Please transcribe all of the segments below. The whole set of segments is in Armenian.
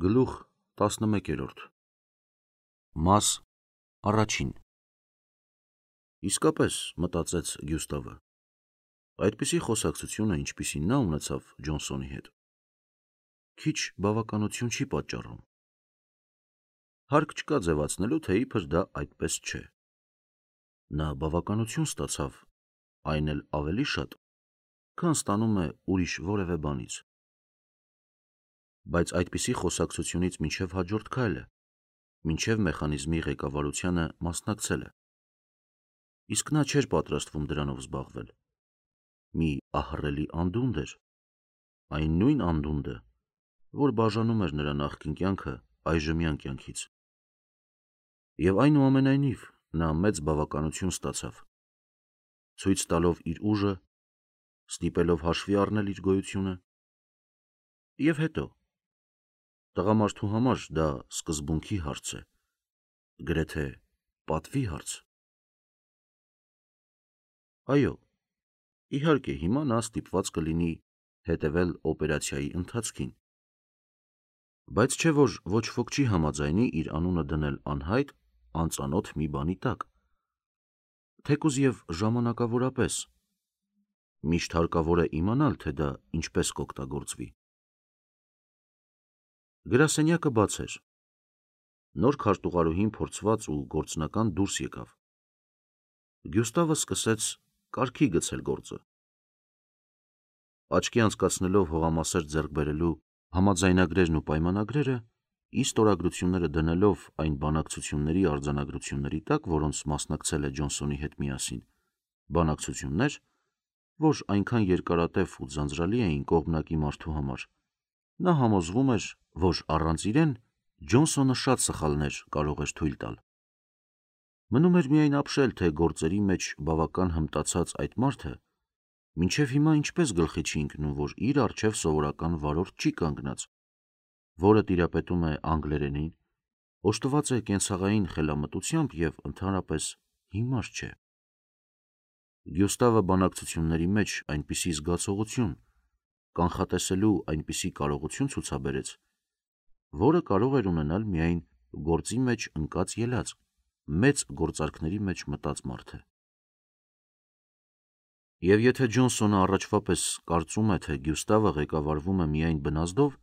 Գլուխ 11 Մաս առաջին Իսկապես, մտածեց Գյուստավը, այդպիսի խոսակցությունը, ինչպիսին նա ունեցավ Ջոնսոնի հետ, քիչ բավականություն չի պատճառում։ Հարկ չկա ձևացնելու, թե իբր դա այդպես չէ։ Նա բավականություն ստացավ, այն էլ ավելի շատ, քան ստանում է ուրիշ որևէ բանից։ Բայց այդպիսի խոսակցությունից մինչև հաջորդ քայլը, մինչև մեխանիզմի ղեկավարությանը մասնակցելը։ Իսկ նա չէր պատրաստվում դրանով զբաղվել։ Մի ահռելի անդունդ էր, այն նույն անդունդը, որ բաժանում էր նրա նախկին կյանքը այժմյան կյանքից։ Եվ այնուամենայնիվ նա մեծ բավականություն ստացավ, ցույց տալով իր ուժը, ստիպելով հաշվի առնել իր գոյությունը, և հետո տղամարդու համար դա սկզբունքի հարց է, գրեթե պատվի հարց։ Այո, իհարկե հիմա նա ստիպված կլինի հետևել օպերացիայի ընթացքին, բայց չէ որ ոչ ոք չի համաձայնի իր անունը դնել անհայտ, անծանոթ մի բանի տակ, թեկուզ և ժամանակավորապես, միշտ հարկավոր է իմանալ, թե դա ինչպես կօգտագործվի։ Գրասենյակը բաց էր։ Նոր քարտուղարուհին փորձված ու գործնական դուրս եկավ։ Գյուստավը սկսեց կարգի գցել գործը։ Աչքի անցկացնելով հողամասեր ձեռք բերելու համաձայնագրերն ու պայմանագրերը, ի ստորագրությունները դնելով այն բանակցությունների արձանագրությունների տակ, որոնց մասնակցել է Ջոնսոնի հետ միասին, բանակցություններ, որ այնքան երկարատև ու ձանձրալի էին կողմնակի մարդու համար, նա համոզվում էր, որ առանց իրեն Ջոնսոնը շատ սխալներ կարող էր թույլ տալ։ Մնում էր միայն ապշել, թե գործերի մեջ բավական հմտացած այդ մարդը մինչև հիմա ինչպես գլխի չի ընկնում, որ իր առջև սովորական վարորդ չի կանգնած, որը տիրապետում է անգլերենին, օժտված է կենցաղային խելամտությամբ և ընդհանրապես հիմար չէ։ Գյուստավը բանակցությունների մեջ այնպիսի զգացողություն, կանխատեսելու այնպիսի կարողություն ցուցաբերեց, որը կարող էր ունենալ միայն գործի մեջ ընկած ելած, մեծ գործարքների մեջ մտած մարդը։ Եվ եթե Ջոնսոնը առաջվա պես կարծում է, թե Գյուստավը ղեկավարվում է միայն բնազդով,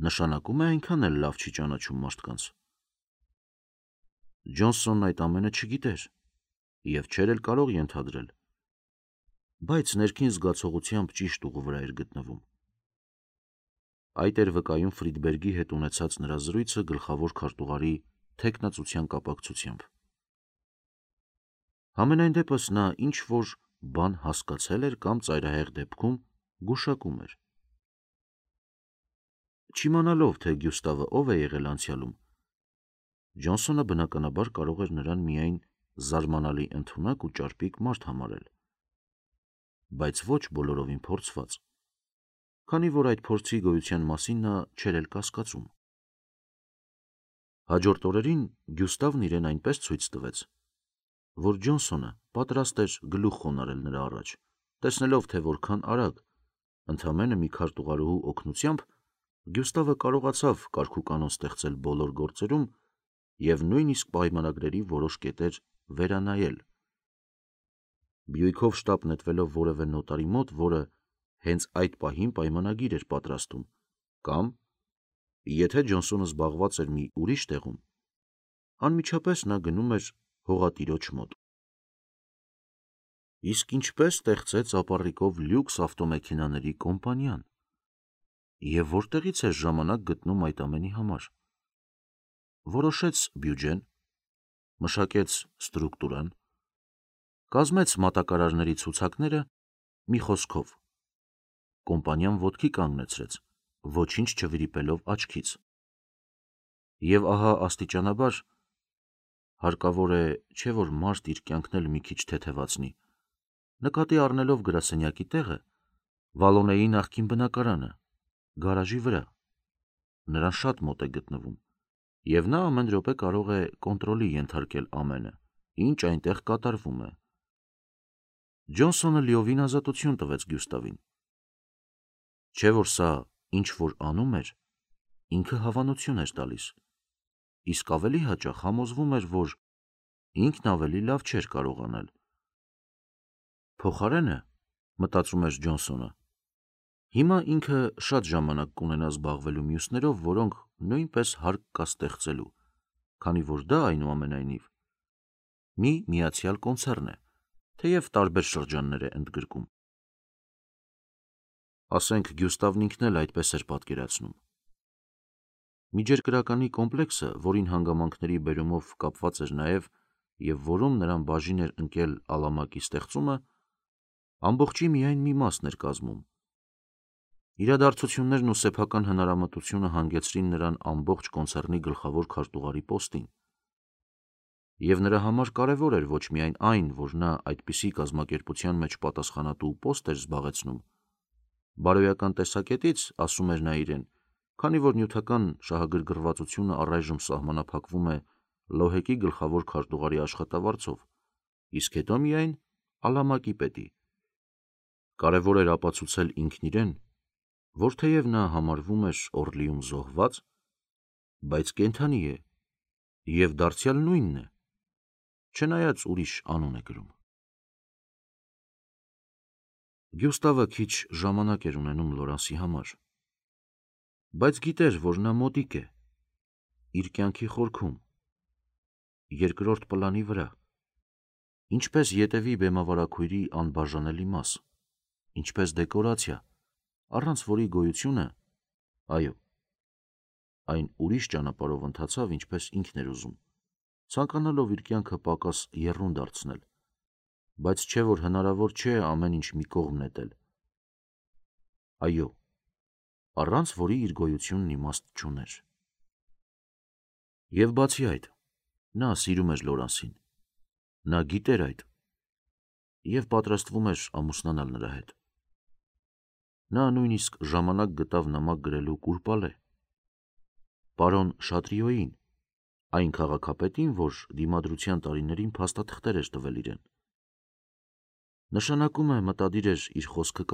նշանակում է այնքան էլ լավ չի ճանաչում մարդկանց։ Ջոնսոնն այդ ամենը չգիտեր և չէր էլ կարող ենթադրել, բայց ներքին զգացողությամբ ճիշտ ուղու վրա էր գտնվում։ Այդ էր վկայում Ֆրիդբերգի հետ ունեցած նրա զրույցը գլխավոր քարտուղարի թեկնածության կապակցությամբ։ Համենայն դեպս նա ինչ-որ բան հասկացել էր կամ ծայրահեղ դեպքում գուշակում էր։ Չիմանալով, թե Գյուստավը ով է եղել անցյալում, Ջոնսոնը բնականաբար կարող էր նրան միայն զարմանալի ընդունակ ու ճարպիկ մարդ համարել, բայց ոչ բոլորովին փորձված, քանի որ այդ փորձի գոյության մասին նա չէր էլ կասկածում։ Հաջորդ օրերին Գյուստավն իրեն այնպես ցույց տվեց, որ Ջոնսոնը պատրաստ էր գլուխ խոնարհել նրա առաջ, տեսնելով, թե որքան արագ, ընդամենը մի քարտուղարուհու օգնությամբ, Գյուստավը կարողացավ կարգուկանոն ստեղծել բոլոր գործերում և նույնիսկ պայմանագրերի որոշ կետեր վերանայել։ Բյուիկով շտապ նետվելով որևէ նոտարի մոտ, որը հենց այդ պահին պայմանագիր էր պատրաստում, կամ, եթե Ջոնսոնը զբաղված էր մի ուրիշ տեղում, անմիջապես նա գնում էր հողատիրոջ մոտ։ Իսկ ինչպե՞ս ստեղծեց ապառիկով լյուքս ավտոմեքենաների կոմպանիան և որտեղից էր ժամանակ գտնում այդ ամենի համար։ Որոշեց բյուջեն, մշակեց ստրուկտուրան, կազմեց մատակարարների ցուցակները, մի խոսքով, կոմպանիան ոտքի կանգնեցրեց, ոչինչ չվրիպելով աչքից։ Եվ ահա աստիճանաբար, հարկավոր է, չէ՞ որ մարդ իր կյանքն էլ մի քիչ թեթևացնի, նկատի առնելով գրասենյակի տեղը, Վալոնեի նախկին բնակարանը, գարաժի վրա, նրան շատ մոտ է գտնվում, և նա ամեն րոպե կարող է կոնտրոլի ենթարկել ամենը, ինչ այնտեղ կատարվում է։ Ջոնսոնը լիովին ազատություն տվեց Գյուստավին։ Չէ՞ որ սա ինչ որ անում էր, ինքը հավանություն էր տալիս, իսկ ավելի հաճախ համոզվում էր, որ ինքն ավելի լավ չէր կարող անել։ Փոխարենը, մտածում էր Ջոնսոնը, հիմա ինքը շատ ժամանակ կունենա զբաղվելու մյուսներով, որոնք նույնպես հարկ կա ստեղծելու, քանի որ դա այնուամենայնիվ մի միացյալ կոնցեռն է, թեև տարբեր շրջաններ է ընդգրկում։ Ասենք Գյուստավն ինքն էլ այդպես էր պատկերացնում։ Միջերկրականի կոմպլեքսը, որին հանգամանքների բերումով կապված էր նաև և որում նրան բաժին էր ընկել Ալամակի ստեղծումը, ամբողջի միայն մի մասն էր կազմում։ Իրադարձություններն ու սեփական հնարամտությունը հանգեցրին նրան ամբողջ կոնցեռնի գլխավոր քարտուղարի պոստին, և նրա համար կարևոր էր ոչ միայն այն, որ նա այդպիսի կազմակերպության մեջ պատասխանատու պոստ էր զբաղեցնում, բարոյական տեսակետից, ասում էր նա իրեն, քանի որ նյութական շահագրգռվածությունը առայժմ սահմանափակվում է Լոհեկի գլխավոր քարտուղարի աշխատավարձով, իսկ հետո միայն Ալամակի պետի։ Կարևոր էր ապացուցել ինքն իրեն, որ թեև նա համարվում էր Օրլիում զոհված, բայց կենդանի է և դարձյալ նույնն է, չնայած ուրիշ անուն է կրում։ Գյուստավը քիչ ժամանակ էր ունենում Լորանսի համար, բայց գիտեր, որ նա մոտիկ է, իր կյանքի խորքում, երկրորդ պլանի վրա, ինչպես ետևի բեմավարագույրի անբաժանելի մաս, ինչպես դեկորացիա, առանց որի գոյությունը, այո, այն ուրիշ ճանապարհով ընթացավ, ինչպես ինքն էր ուզում, ցանկանալով իր կյանքը պակաս եռուն դարձնել, բայց չէ որ հնարավոր չէ ամեն ինչ մի կողմ նետել։ Այո, առանց որի իր գոյությունն իմաստ չուներ։ Եվ բացի այդ, նա սիրում էր Լորանսին, նա գիտեր այդ և պատրաստվում էր ամուսնանալ նրա հետ։ Նա նույնիսկ ժամանակ գտավ նամակ գրելու Կուրպալե, պարոն Շատրիոյին, այն քաղաքապետին, որ դիմադրության տարիներին փաստաթղթեր էր տվել իրեն։ Նշանակում է մտադիր էր իր խոսքը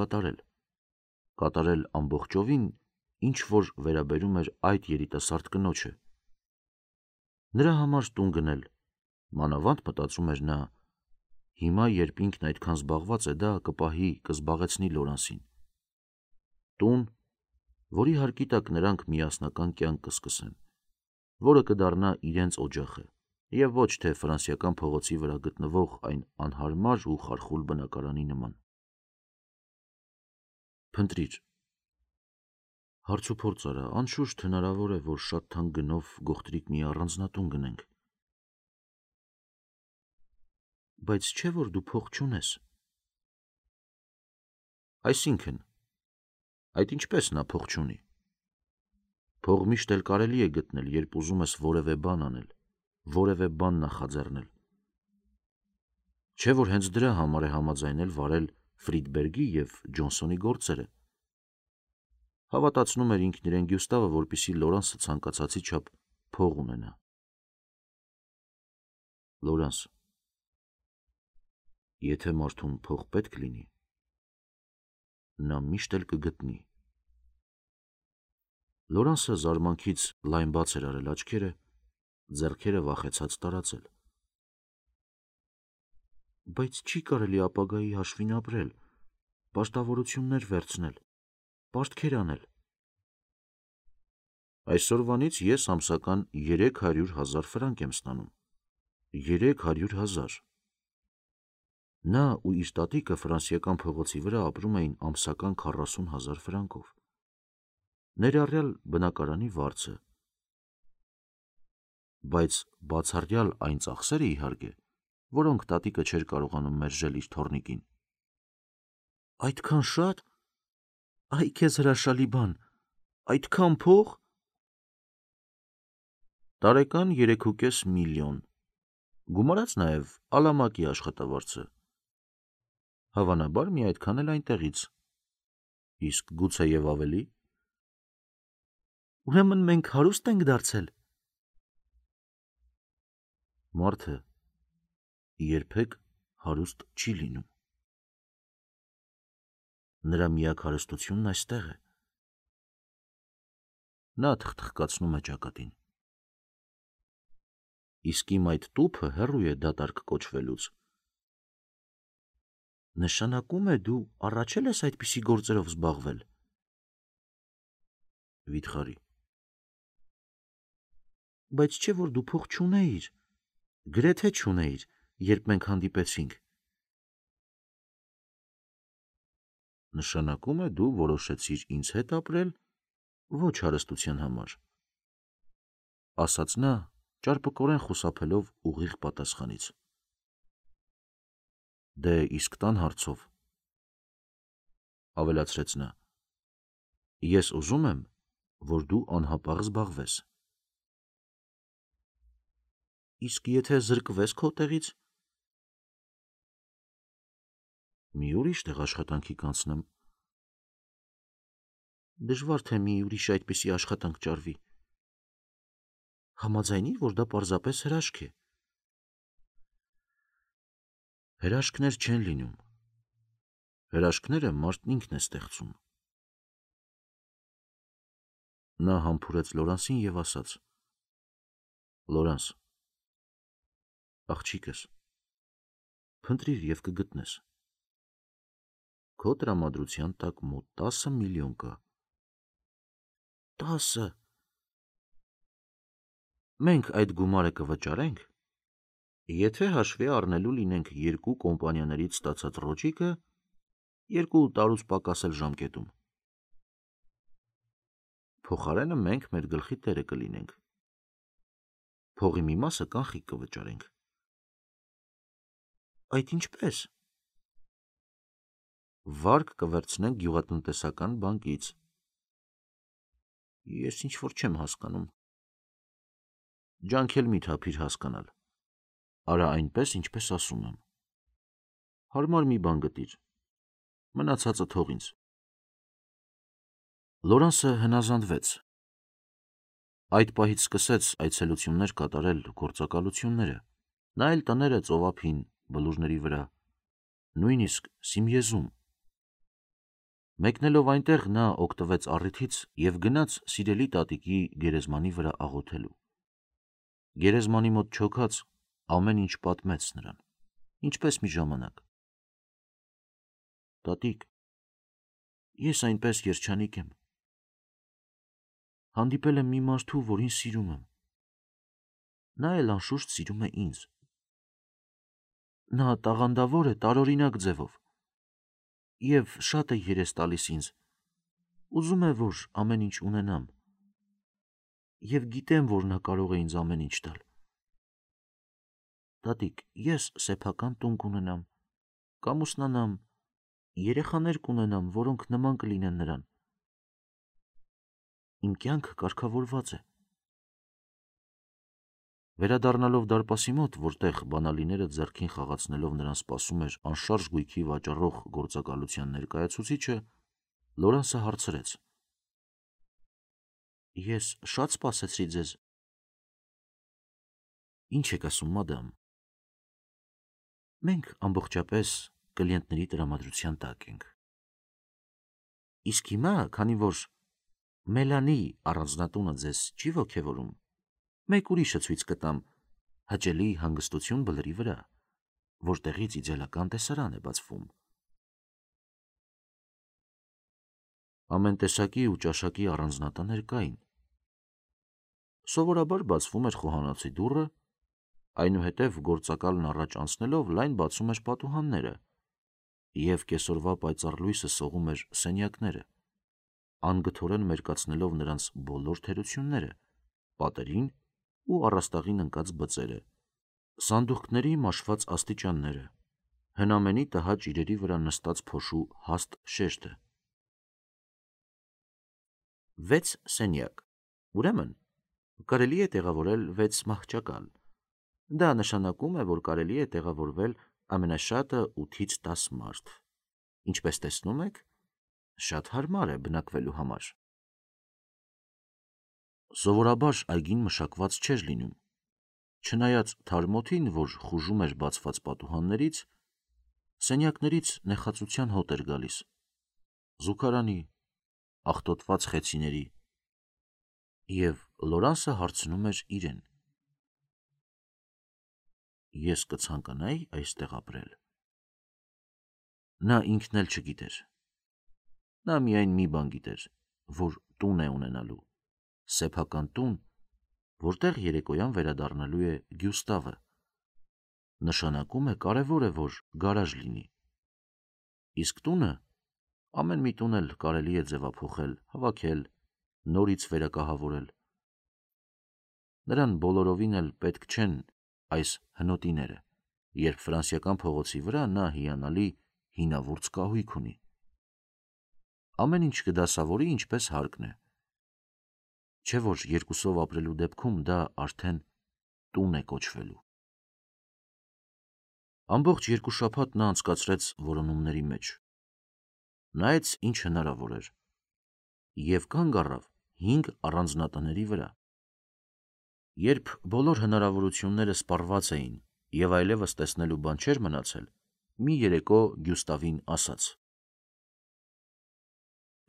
կատարել ամբողջովին, ինչ որ վերաբերում էր այդ երիտասարդ կնոջը։ Նրա համար տուն գնել, մանավանդ մտածում էր նա, հիմա երբ ինքն այդքան զբաղված է, դա կպահի, կզբաղեցնի Լորանսին։ Տուն, որի հարկի տակ նրանք միասնական կյանք կսկսեն, որը կդառնա իրենց օջախը, և ոչ թե Ֆրանսիական փողոցի վրա գտնվող այն անհարմար ու խարխուլ բնակարանի նման։ Փնտրիր, հարցուփորձ արա, անշուշտ հնարավոր է, որ շատ թանկ գնով գողտրիկ մի առանձնատուն գնենք։ Բայց չէ որ դու փող չունես։ Այսինքն, այդ ինչպես նա փող չունի։ Փող միշտ էլ կարելի է գտնել, երբ ուզում ես որևէ բան անել, որևէ բան նախաձեռնել։ Չէ որ հենց դրա համար է համաձայնել վարել Ֆրիդբերգի և Ջոնսոնի գործերը։ Հավատացնում էր ինքն իրեն Գյուստավը, որպեսզի Լորանսը ցանկացածի չափ փող ունենա։ Լորանս, եթե մարդուն փող պետք լինի, նա միշտ էլ կգտնի։ Լորանսը զարմանքից լայն բաց էր արել աչքերը, ձեռքերը վախեցած տարածել։ Բայց չի կարելի ապագայի հաշվին ապրել, պարտավորություններ վերցնել, պարտքեր անել։ Այսօրվանից ես ամսական 300,000 ֆրանկ եմ ստանում։ 300,000։ Նա ու իր տատիկը Ֆրանսիական փողոցի վրա ապրում էին ամսական 40,000 ֆրանկով, ներառյալ բնակարանի վարձը։ Բայց բացառյալ այն ծախսերը, իհարկե, որոնք տատիկը չէր կարողանում մերժել իր թոռնիկին։ Այդքան շա՞տ։ Այ քեզ հրաշալի բան, այդքան փող։ Տարեկան 3,5 միլիոն, գումարած նաև Ալամակի աշխատավարձը։ Հավանաբար մի այդքան էլ այնտեղից։ Իսկ գուցե և ավելի։ Ուրեմն մենք հարուստ ենք դարձել։ Մարդը երբեք հարուստ չի լինում։ Նրա միակ հարստությունն այստեղ է։ Նա թխթխկացնում է ճակատին։ Իսկ իմ այդ տուփը հեռու է դատարկ կոչվելուց։ Նշանակում է դու առաջել ես այդպիսի գործերով զբաղվել։ Վիթխարի. Բայց չէ որ դու փող չունեիր, գրեթե չունեիր, երբ մենք հանդիպեցինք։ Նշանակում է դու որոշեցիր ինձ հետ ապրել, ոչ հարստության համար, ասաց նա, ճարպկորեն խուսափելով ուղիղ պատասխանից։ Դե իսկ տան հարցով, ավելացրեց նա, ես ուզում եմ, որ դու անհապաղ զբաղվես։ Իսկ եթե զրկվես քո տեղից, մի ուրիշ տեղ աշխատանքի կանցնեմ։ Դժվար թե մի ուրիշ այդպիսի աշխատանք ճարվի։ Համաձայնի, որ դա պարզապես հրաշք է։ Հրաշքներ չեն լինում։ Հրաշքները մարդն ինքն է ստեղծում։ Նա համբուրեց Լորանսին և ասաց. Լորանս, աղջիկս, փնտրիր և կգտնես։ Քո տրամադրության տակ մոտ 10 միլիոն կա։ 10։ Մենք այդ գումարը կվճարենք, եթե հաշվի առնելու լինենք երկու կոմպանիաներից ստացած ռոճիկը 2 տարուց պակաս էլ ժամկետում։ Փոխարենը մենք մեր գլխի տերը կլինենք։ Փողի մի մասը կանխիկ կվճարենք։ Այդ ինչպես։ Վարկ կվերցնենք գյուղատնտեսական բանկից։ Ես ինչ-որ չեմ հասկանում։ Ջանք էլ մի թափիր հասկանալ։ Արա այնպես, ինչպես ասում եմ։ Հարմար մի բան գտիր։ Մնացածը թող ինձ։ Լորանսը հնազանդվեց։ Այդ պահից սկսեց այցելություններ կատարել գործակալությունները, նայել տները ծովափին, բլուրների վրա, նույնիսկ Սիմեզում։ Մեկնելով այնտեղ նա օգտվեց առիթից և գնաց սիրելի տատիկի գերեզմանի վրա աղոթելու։ Գերեզմանի մոտ չոքած ամեն ինչ պատմեց նրան, ինչպես մի ժամանակ։ Տատիկ, ես այնպես երջանիկ եմ։ Հանդիպել եմ մի մարդու, որին սիրում եմ։ Նա էլ անշուշտ սիրում է ինձ։ Նա տաղանդավոր է տարօրինակ ձևով և շատ է երես տալիս ինձ, ուզում է, որ ամեն ինչ ունենամ, և գիտեմ, որ նա կարող է ինձ ամեն ինչ տալ։ Տատիկ, ես սեփական տուն կունենամ, կամուսնանամ, երեխաներ կունենամ, որոնք նման կլինեն նրան։ Իմ կյանքը կարգավորված է։ Վերադառնալով դարպասի մոտ, որտեղ բանալիները ձեռքին խաղացնելով նրան սպասում էր անշարժ գույքի վաճառող գործակալության ներկայացուցիչը, Լորանսը հարցրեց. Ես շատ սպասեցրի ձեզ։ Ինչ եք ասում, մադամ։ Մենք ամբողջապես կլիենտների տրամադրության տակ ենք։ Իսկ հիմա, քանի որ Մելանի առանձնատունը ձեզ չի ոգևորում, մեկ ուրիշը ցույց կտամ հաճելի հանգստություն բլրի վրա, որտեղից իդեալական տեսարան է բացվում։ Ամեն տեսակի ու ճաշակի առանձնատներ կային։ Սովորաբար բացվում էր խոհանոցի դուռը, այնուհետև գործակալն առաջ անցնելով լայն բացում էր պատուհանները, և կեսօրվա պայծառ լույսը սողում էր սենյակները, անգթորեն մերկացնելով նրանց բոլոր թերությունները, պատերին ու առաստաղին ընկած բծերը, սանդուղքների մաշված աստիճանները, հնամենի տհաճ իրերի վրա նստած փոշու հաստ շեշտը։ 6 սենյակ, ուրեմն կարելի է տեղավորել 6 մահճակալ։ Դա նշանակում է, որ կարելի է տեղավորվել ամենաշատը 8-ից 10 մարդ։ Ինչպես տեսնում եք, շատ հարմար է բնակվելու համար։ Սովորաբար այգին մշակված չէր լինում, չնայած թարմ օդին, որ խուժում էր բացված պատուհաններից, սենյակներից նեխածության հոտ էր գալիս, զուգարանի, աղտոտված խեցիների, Եվ Լորանսը հարցնում էր իրեն. Ես կցանկանայի այստեղ ապրել։ Նա ինքն էլ չգիտեր։ Նա միայն մի բան գիտեր, որ տուն է ունենալու, սեփական տուն, որտեղ երեկոյան վերադառնալու է Գյուստավը։ Նշանակում է կարևոր է, որ գարաժ լինի։ Իսկ տունը, ամեն մի տուն էլ կարելի է ձևափոխել, հավաքել, նորից վերակահավորել։ Նրան բոլորովին էլ պետք չեն այս հնոտիները, երբ ֆրանսիական փողոցի վրա նա հիանալի հինավուրց կահույք ունի։ Ամեն ինչ կդասավորի ինչպես հարկն է, չէ որ երկուսով ապրելու դեպքում դա արդեն տուն է կոչվելու։ Ամբողջ 2 շաբաթ նա անցկացրեց որոնումների մեջ, նայեց ինչ հնարավոր էր, և կանգ առավ 5 առանձնատների վրա։ Երբ բոլոր հնարավորությունները սպառված էին և այլևս տեսնելու բան չէր մնացել, մի երեկո Գյուստավին ասաց.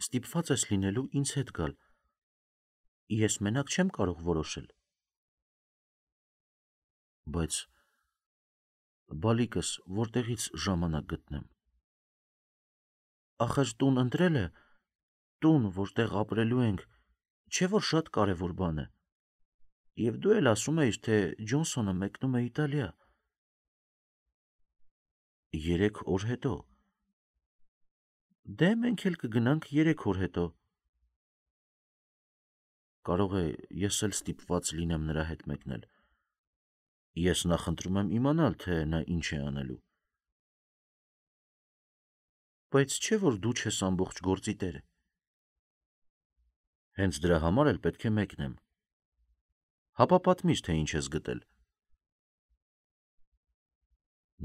«Ստիպված ես լինելու ինձ հետ գալ, ես մենակ չեմ կարող որոշել»։ Բայց բալիկս որտեղից ժամանակ գտնեմ։ Ախր տուն ընտրելը, տուն, որտեղ ապրելու ենք, չէ որ շատ կարևոր բան է։ Եվ դու էլ ասում էիր, թե Ջոնսոնը մեկնում է Իտալիա։ 3 օր հետո։ Դե մենք էլ կգնանք 3 օր հետո։ Կարող է ես էլ ստիպված լինեմ նրա հետ մեկնել։ Ես նախընտրում եմ իմանալ, թե նա ինչ է անելու։ Բայց չէ որ դու չես ամբողջ գործի տերը։ Հենց դրա համար էլ պետք է մեկնեմ։ Հապա պատմիր, թե ինչ ես գտել։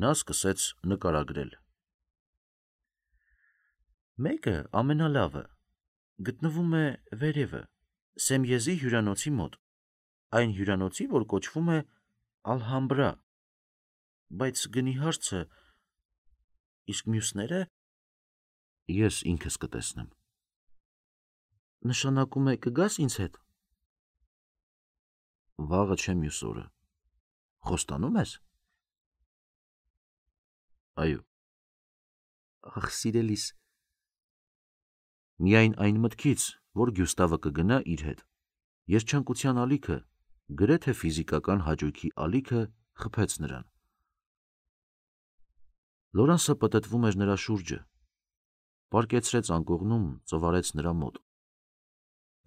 Նա սկսեց նկարագրել։ Մեկը ամենալավը գտնվում է վերևը, Սեմյեզի հյուրանոցի մոտ, այն հյուրանոցի, որ կոչվում է Ալհամբրա, բայց գնի հարցը, իսկ մյուսները ես ինքս կտեսնեմ։ Նշանակում է կգաս ինձ հետ։ Վաղը չէ մյուս օրը։ Խոստանում ես։ Այո։ Ախ, սիրելիս։ Միայն այն մտքից, որ Գյուստավը կգնա իր հետ, երջանկության ալիքը, գրեթե ֆիզիկական հաճույքի ալիքը խփեց նրան։ Լորանսը պտտվում էր նրա շուրջը, պառկեցրեց անկողնում, ծվարեց նրա մոտ։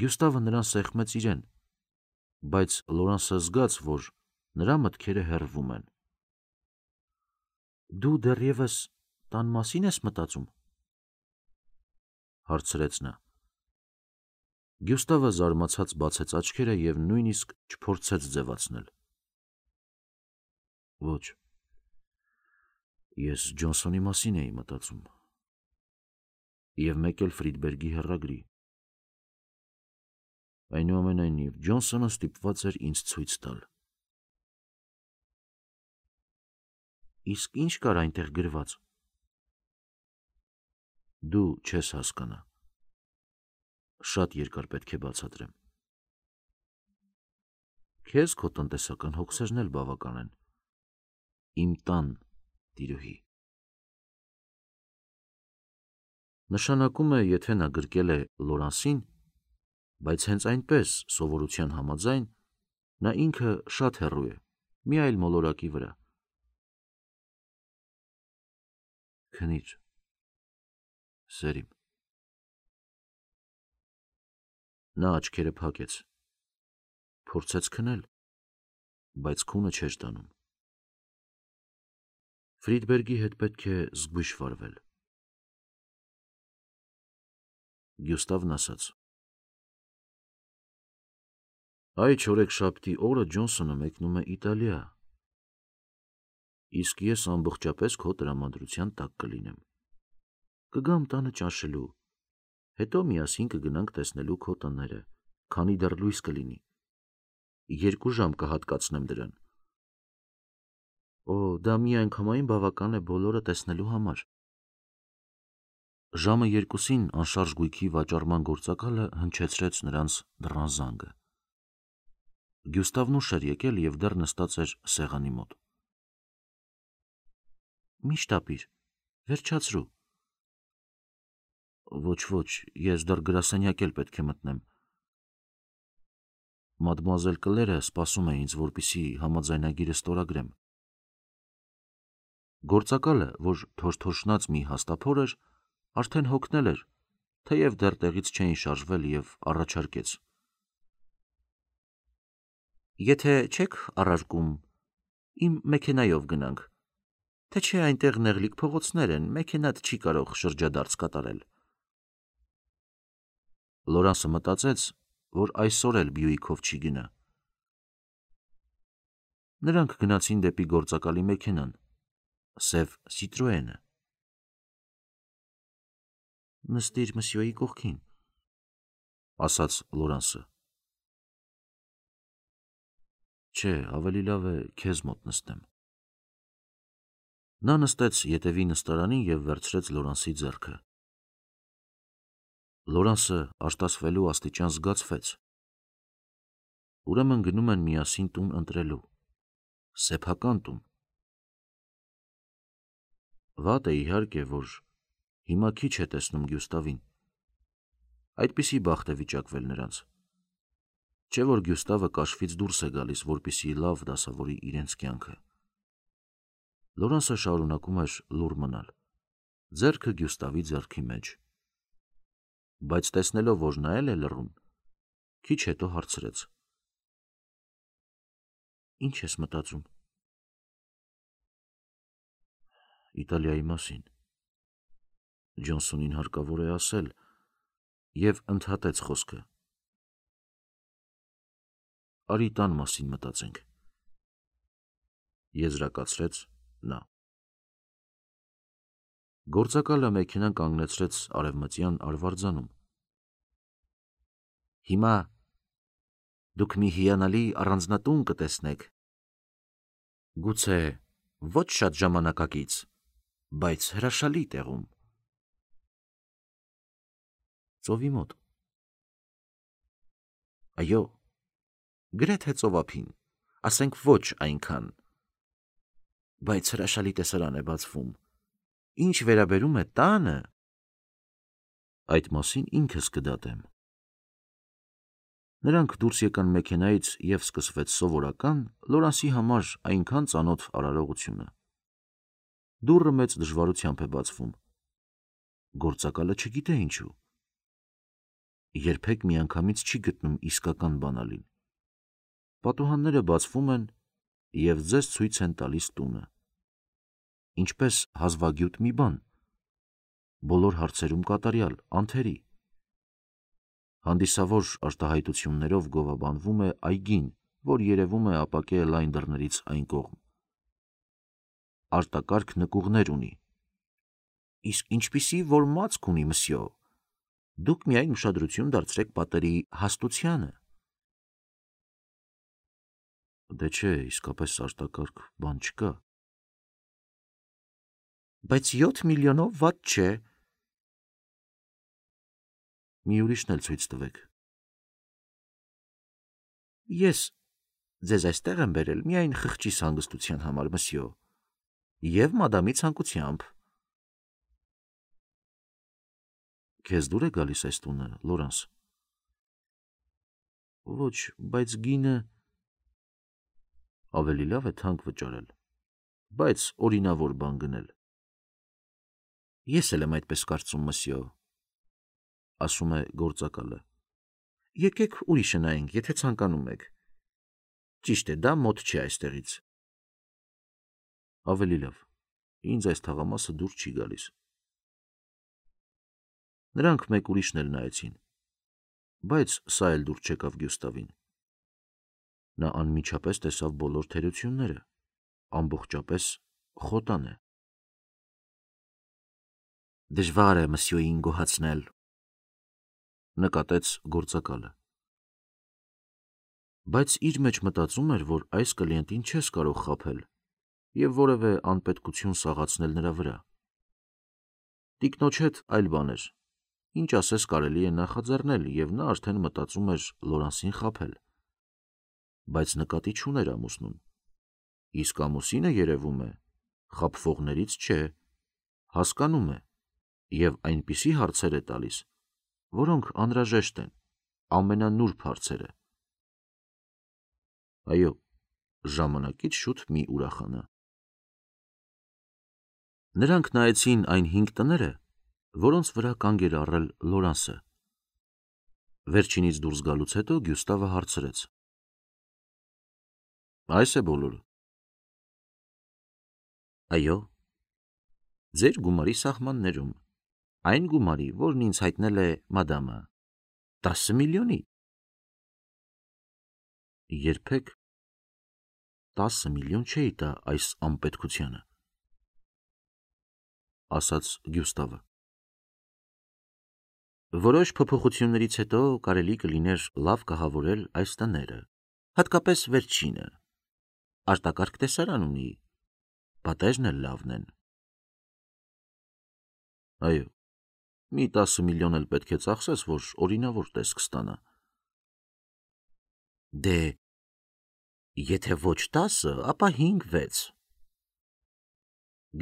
Գյուստավը նրան սեղմեց իրեն, բայց Լորանսը զգաց, որ նրա մտքերը հեռվում են։ Դու դեռևս տան մասին ես մտածում, հարցրեց նա։ Գյուստավը զարմացած բացեց աչքերը և նույնիսկ չփորձեց ձևացնել։ Ոչ, ես Ջոնսոնի մասին էի մտածում, և մեկ էլ Ֆրիդբերգի հեռագրի։ Այնուամենայնիվ, Ջոնսոնը ստիպված էր ինձ ցույց տալ։ Իսկ ինչ կար այնտեղ գրված։ Դու չես հասկանա։ Շատ երկար պետք է բացատրեմ։ Քեզ քո տնտեսական հոգսերն էլ բավական են։ Իմ տան տիրուհի։ Նշանակում է, եթե նա գրկել է Լորանսին, բայց հենց այնպես, սովորության համաձայն, նա ինքը շատ հեռու է, մի այլ մոլորակի վրա։ Քնիր, սերիմ։ Նա աչքերը փակեց, փորձեց քնել, բայց քունը չէր տանում։ Ֆրիդբերգի հետ պետք է զգույշ վարվել։ Գյուստավն ասաց. Այ չորեքշաբթի օրը Ջոնսոնը մեկնում է Իտալիա, իսկ ես ամբողջապես քո տրամադրության տակ կլինեմ։ Կգամ տանը ճաշելու, հետո միասին կգնանք տեսնելու քո տները, քանի դեռ լույս կլինի։ 2 ժամ կհատկացնեմ դրան։ Օ, դա միանգամայն բավական է բոլորը տեսնելու համար։ Ժամը 2-ին անշարժ գույքի վաճառման գործակալը հնչեցրեց նրանց դռան զանգը։ Գյուստավն ուշ էր եկել և դեռ նստած էր սեղանի մոտ։ Մի շտապիր, վերջացրու։ Ոչ, ես դեռ գրասենյակ էլ պետք է մտնեմ։ Մադմուազել Կլերը սպասում է ինձ, որպեսզի համաձայնագիրը ստորագրեմ։ Գործակալը, որ թոշթոշնած մի հաստափոր էր, արդեն հոգնել էր, թեև դեռ տեղից չէին շարժվել և առաջարկեց. Եթե չեք առարկում, իմ մեքենայով գնանք, թե չէ այնտեղ նեղլիկ փողոցներ են, մեքենադ չի կարող շրջադարձ կատարել։ Լորանսը մտածեց, որ այսօր էլ Բյուիկով չի գնա։ Նրանք գնացին դեպի գործակալի մեքենան, սև Սիտրոենը։ Նստիր մսյոյի կողքին, ասաց Լորանսը։ Չէ, ավելի լավ է քեզ մոտ նստեմ։ Նա նստեց ետևի նստարանին և վերցրեց Լորանսի ձեռքը։ Լորանսը արտասվելու աստիճան զգացվեց։ Ուրեմն գնում են միասին տուն ընտրելու, սեփական տուն։ Վատ է իհարկե, որ հիմա քիչ է տեսնում Գյուստավին։ Այդպիսի բախտ է վիճակվել նրանց։ Չէ որ Գյուստավը կաշվից դուրս է գալիս, որպեսզի լավ դասավորի իրենց կյանքը։ Լորանսը շարունակում էր լուռ մնալ, ձեռքը Գյուստավի ձեռքի մեջ։ Բայց տեսնելով, որ նա էլ է լռում, քիչ հետո հարցրեց. Ինչ ես մտածում։ Իտալիայի մասին։ Ջոնսոնին հարկավոր է ասել, և ընդհատեց խոսքը. Արի տան մասին մտածենք, եզրակացրեց նա։ Գործակալը մեքենան կանգնեցրեց արևմտյան արվարձանում։ Հիմա դուք մի հիանալի առանձնատուն կտեսնեք։ Գուցե ոչ շատ ժամանակակից, բայց հրաշալի տեղում։ Ծովի մոտ։ Այո, գրեթե ծովափին, ասենք ոչ այնքան, բայց հրաշալի տեսարան է բացվում։ Ինչ վերաբերում է տանը, այդ մասին ինքս կդատեմ։ Նրանք դուրս եկան մեքենայից և սկսվեց սովորական Լորանսի համար այնքան ծանոթ արարողությունը։ Դուռը մեծ դժվարությամբ է բացվում։ Գործակալը չգիտե ինչու։ Երբեք միանգամից չի գտնում իսկական բանալին։ Պատուհանները բացվում են և ձեզ ցույց են տալիս տունը։ Ինչպես հազվագյուտ մի բան, բոլոր հարցերում կատարյալ, անթերի։ Հանդիսավոր արտահայտություններով գովաբանվում է այգին, որ երևում է ապակե լայն դռներից այն կողմ։ Արտակարգ նկուղներ ունի։ Իսկ ինչպիսի որ մացք ունի, մսյո, դուք միայն ուշադրություն դարձրեք պատերի հաստությանը։ Դե չէ, իսկապես արտակարգ բան չկա։ Բայց 7 միլիոնով վատ չէ։ Մի ուրիշն էլ ցույց տվեք։ Ես ձեզ այստեղ եմ բերել միայն խղճիս հանգստության համար, մսյո, և մադամի ցանկությամբ։ Քեզ դուր է գալիս այս տունը, Լորանս։ Ոչ, բայց գինը ավելի լավ է թանկ վճարել, բայց օրինավոր բան գնել։ Ես էլ եմ այդպես կարծում, մսյո, ասում է գործակալը։ Եկեք ուրիշը նայենք, եթե ցանկանում եք։ Ճիշտ է, դա մոտ չէ այստեղից։ Ավելի լավ, ինձ այս թաղամասը դուր չի գալիս։ Նրանք մեկ ուրիշն էլ նայեցին, բայց սա էլ դուր չեկավ Գյուստավին։ Նա անմիջապես տեսավ բոլոր թերությունները, ամբողջապես խոտան է։ Դժվար է մսյոյին գոհացնել, նկատեց գործակալը։ Բայց իր մեջ մտածում էր, որ այս կլիենտին չես կարող խաբել և որևէ անպետքություն սաղացնել նրա վրա։ Տիկնոջ հետ այլ բան էր, ինչ ասես կարելի է նախաձեռնել, և նա արդեն մտածում էր Լորանսին խաբել։ բայց նկատի չուներ ամուսնուն։ Իսկ ամուսինը երևում է, խաբվողներից չէ, հասկանում է և այնպիսի հարցեր է տալիս, որոնք անհրաժեշտ են, ամենանուրբ հարցերը։ Այո, ժամանակից շուտ մի ուրախանա։ Նրանք նայեցին այն 5 տները, որոնց վրա կանգ էր առել Լորանսը։ Վերջինից դուրս գալուց հետո Գյուստավը հարցրեց. Այս է բոլորը։ Այո, ձեր գումարի սահմաններում, այն գումարի, որն ինձ հայտնել է մադամը, 10 միլիոնի։ Երբեք 10 միլիոն չէի տա այս անպետքությանը, ասաց Գյուստավը։ Որոշ փոփոխություններից հետո կարելի կլիներ լավ կահավորել այս տները, հատկապես վերջինը։ Արտակարգ տեսարան ունի, պատերն էլ լավն են։ Այո, մի 10 միլիոն էլ պետք է ծախսես, որ օրինավոր տեսք ստանա։ Դե, եթե ոչ 10, ապա 5-6։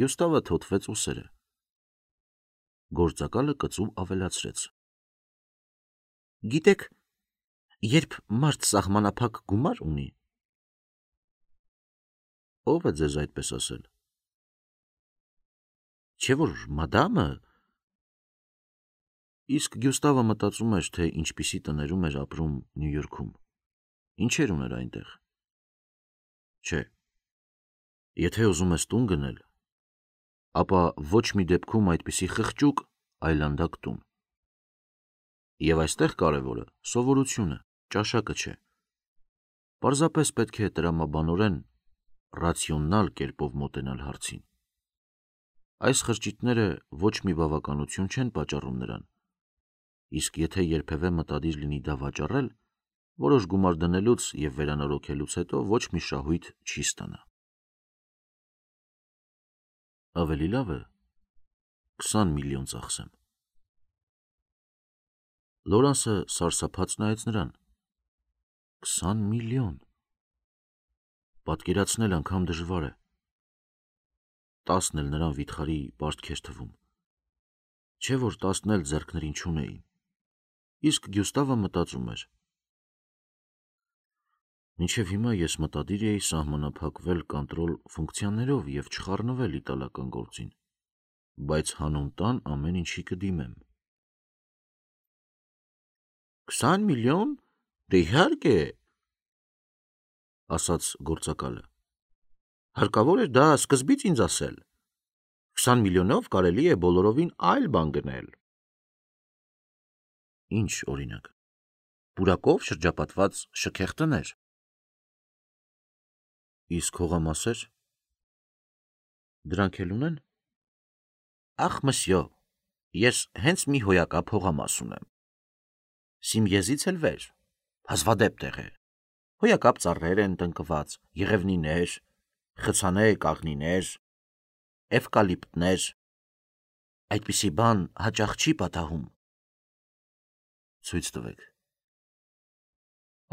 Գյուստավը թոթվեց ուսերը։ Գործակալը կծու ավելացրեց. Գիտեք, երբ մարդ սահմանափակ գումար ունի, ով է ձեզ այդպես ասել։ Չէ՞ որ մադամը։ Իսկ Գյուստավը մտածում էր, թե ինչպիսի տներում էր ապրում Նյու Յորքում, ինչեր ուներ այնտեղ։ Չէ, եթե ուզում ես տուն գնել, ապա ոչ մի դեպքում այդպիսի խղճուկ այլանդակ տուն։ Եվ այստեղ կարևորը սովորությունը, ճաշակը չէ։ Պարզապես պետք է տրամաբանորեն, ռացիոնալ կերպով մոտենալ հարցին։ Այս խրճիթները ոչ մի բավականություն չեն պատճառում նրան, իսկ եթե երբևէ մտադիր լինի դա վաճառել, որոշ գումար դնելուց և վերանորոգելուց հետո ոչ մի շահույթ չի ստանա։ Ավելի լավ է 20 միլիոն ծախսեմ։ Լորանսը սարսափած նայեց նրան։ 20 միլիոն։ Պատկերացնել անգամ դժվար է։ 10-ն էլ նրան վիթխարի պարտք էր թվում։ Չէ որ 10-ն էլ ձեռքներին չունեին։ Իսկ Գյուստավը մտածում էր. Մինչև հիմա ես մտադիր էի սահմանափակվել կոնտրոլ ֆունկցիաներով և չխառնվել իտալական գործին, բայց հանուն տան ամեն ինչի կդիմեմ։ 20 միլիոն, դե իհարկե, ասաց գործակալը։ Հարկավոր էր դա սկզբից ինձ ասել։ 20 միլիոնով կարելի է բոլորովին այլ բան գնել։ Ինչ օրինակ։ Պուրակով շրջապատված շքեղ տներ։ Իսկ հողամասեր։ Դրանք էլ ունեն։ Ախ, մսյո, ես հենց մի հոյակապ հողամաս ունեմ։ Սիմիեզից էլ վեր, հազվադեպ տեղ է։ Հոյակապ ծառեր են տնկված, եղևնիներ, խցանե կաղնիներ, էվկալիպտներ։ Այդպիսի բան հաճախ չի պատահում։ Ցույց տվեք,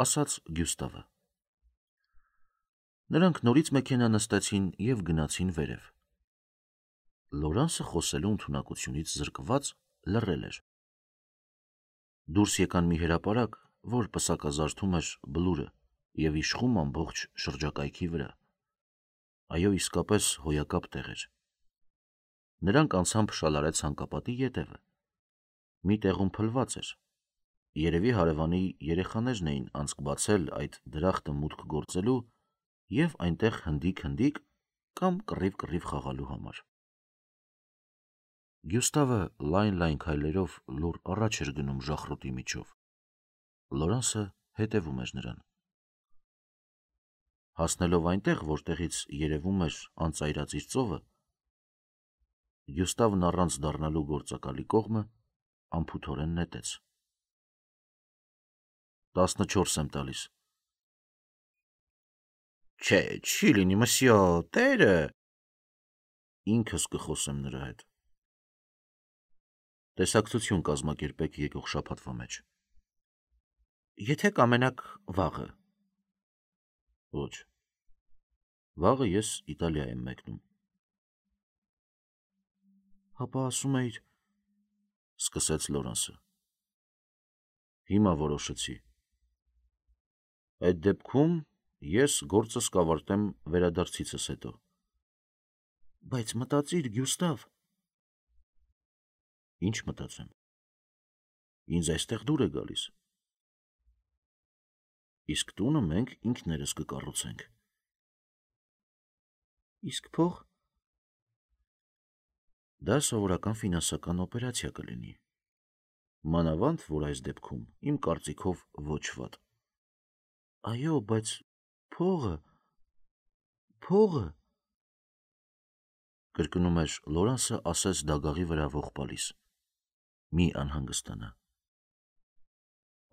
ասաց Գյուստավը։ Նրանք նորից մեքենա նստեցին և գնացին վերև։ Լորանսը խոսելու ընդունակությունից զրկված լռել էր։ Դուրս եկան մի հրապարակ, որ պսակազարդում էր բլուրը և իշխում ամբողջ շրջակայքի վրա։ Այո, իսկապես հոյակապ տեղ էր։ Նրանք անցան փշալարեց հանկապատի ետևը։ Մի տեղում փլված էր։ Երևի հարևանի երեխաներն էին անցք բացել այդ դրախտը մուտք գործելու և այնտեղ հնդիկ կամ կռիվ խաղալու համար։ Գյուստավը լայն քայլերով լուռ առաջ էր գնում ժախրոտի միջով։ Լորանսը հետևում էր նրան։ Հասնելով այնտեղ, որտեղից երևում էր անծայրածիր ծովը, Գյուստավն առանց դառնալու գործակալի կողմը անփութորեն նետեց. 14 եմ տալիս։ Չէ, չի լինի, մսյո, տերը։ Ինքս կխոսեմ նրա հետ։ Տեսակցություն կազմակերպեք եկող շաբաթվա մեջ։ Եթե կամենաք վաղը։ Ոչ։ Վաղը ես Իտալիա եմ մեկնում։ Հապա ասում էիր, սկսեց Լորանսը։ Հիմա որոշեցի։ Այդ դեպքում ես գործս կավարտեմ վերադարձիցս հետո։ Բայց մտածիր, Գյուստավ։ Ինչ մտածեմ։ Ինձ այստեղ դուր է գալիս։ Իսկ տունը մենք ինքներս կկառուցենք։ Իսկ փող։ Դա սովորական ֆինանսական օպերացիա կլինի։ Մանավանդ, որ այս դեպքում իմ կարծիքով ոչ վատ։ Այո, բայց փողը, կրկնում էր Լորանսը, ասես դագաղի վրա ողբալիս։ Մի անհանգստանա։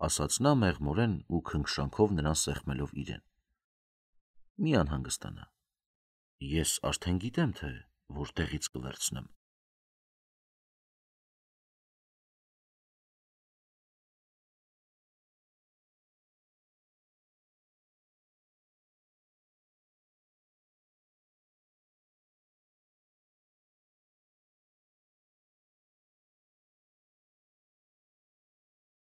Ասաց նա մեղմորեն ու քնքշանքով նրան սեղմելով իրեն։ Մի անհանգստանա։ Ես արդեն գիտեմ, թե որտեղից կվերցնեմ։